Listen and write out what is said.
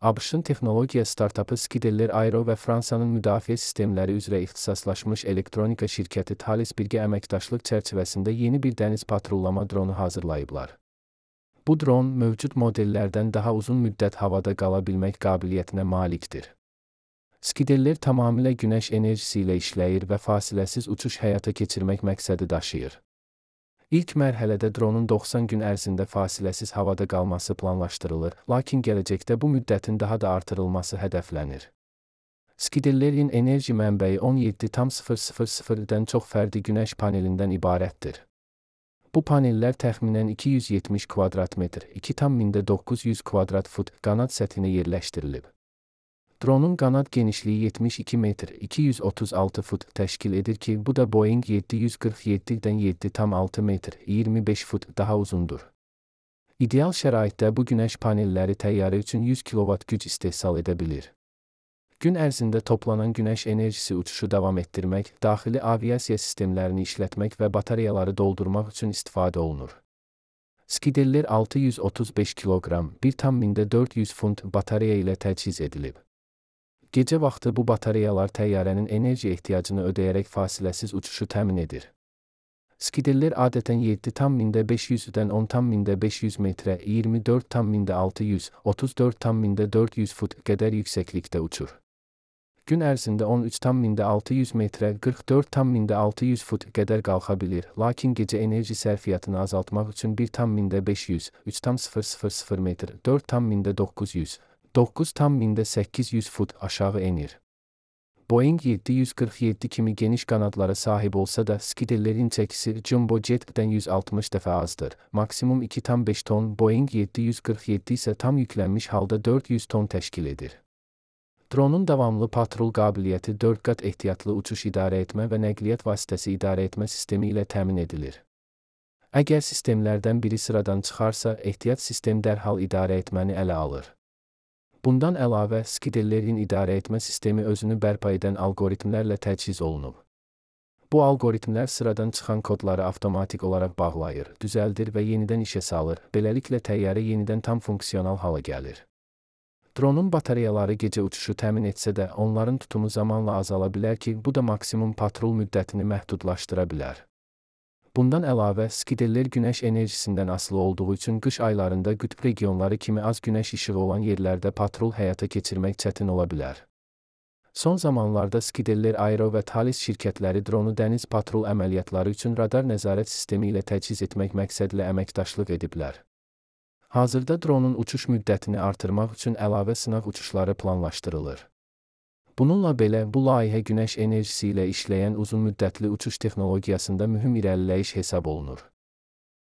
ABŞ-ın texnologiya startapı Scudeller Aero və Fransanın müdafiə sistemləri üzrə ixtisaslaşmış elektronika şirkəti Thales birgə əməkdaşlıq çərçivəsində yeni bir dəniz patrullama dronu hazırlayıblar. Bu dron mövcud modellərdən daha uzun müddət havada qala bilmək qabiliyyətinə malikdir. Scudeller tamamilə günəş enerjisi ilə işləyir və fasiləsiz uçuş həyata keçirmək məqsədi daşıyır. İlk mərhələdə dronun 90 gün ərzində fasiləsiz havada qalması planlaşdırılır, lakin gələcəkdə bu müddətin daha da artırılması hədəflənir. Scudellerin enerji mənbəyi 17,000-dən çox fərdi günəş panelindən ibarətdir. Bu panellər təxminən 270 kvadrat metr, 2,900 kvadrat fut qanad səthinə yerləşdirilib. Dronun qanad genişliyi 72 metr, 236 fut təşkil edir ki, bu da Boeing 747-dən 7,6 metr, 25 fut daha uzundur. İdeal şəraitdə bu günəş panelləri təyyarə üçün 100 kilovat güc istehsal edə bilir. Gün ərzində toplanan günəş enerjisi uçuşu davam etdirmək, daxili aviasiya sistemlərini işlətmək və batareyaları doldurmaq üçün istifadə olunur. Scudeller 635 kiloqram, 1,400 funt batareya ilə təchiz edilib. Gecə vaxtı bu batareyalar təyyarənin enerji ehtiyacını ödəyərək fasiləsiz uçuşu təmin edir. Scudeller adətən 7,500-dən 10,500 metrə, 24,600, 34,400 fut qədər yüksəklikdə uçur. Gün ərzində 13,600 metrə, 44,600 fut qədər qalxa bilir, lakin gecə enerji sərfiyyatını azaltmaq üçün 1,500, 3,000 metr, 4,900, 9,800 fut aşağı enir. Boeing 747 kimi geniş qanadlara sahib olsa da Scudellerin çəkisi Jumbo Jet'dən 160 dəfə azdır. Maksimum 2,5 ton, Boeing 747 isə tam yüklənmiş halda 400 ton təşkil edir. Dronun davamlı patrul qabiliyyəti 4 qat ehtiyatlı uçuş idarə etmə və nəqliyyat vasitəsi idarə etmə sistemi ilə təmin edilir. Əgər sistemlərdən biri sıradan çıxarsa, ehtiyat sistem dərhal idarə etməni ələ alır. Bundan əlavə, Scudellerin idarə etmə sistemi özünü bərpa edən algoritmlərlə təchiz olunub. Bu algoritmlər sıradan çıxan kodları avtomatik olaraq bağlayır, düzəldir və yenidən işə salır, beləliklə təyyarə yenidən tam funksional hala gəlir. Dronun batareyaları gecə uçuşu təmin etsə də, onların tutumu zamanla azala bilər ki, bu da maksimum patrul müddətini məhdudlaşdıra bilər. Bundan əlavə, Scudeller günəş enerjisindən asılı olduğu üçün qış aylarında qütb regionları kimi az günəş işığı olan yerlərdə patrul həyata keçirmək çətin ola bilər. Son zamanlarda Scudeller Aero və Thales şirkətləri dronu dəniz patrul əməliyyatları üçün radar nəzarət sistemi ilə təchiz etmək məqsədlə əməkdaşlıq ediblər. Hazırda dronun uçuş müddətini artırmaq üçün əlavə sınaq uçuşları planlaşdırılır. Bununla belə, bu layihə günəş enerjisi ilə işləyən uzun müddətli uçuş texnologiyasında mühüm irəliləyiş hesab olunur.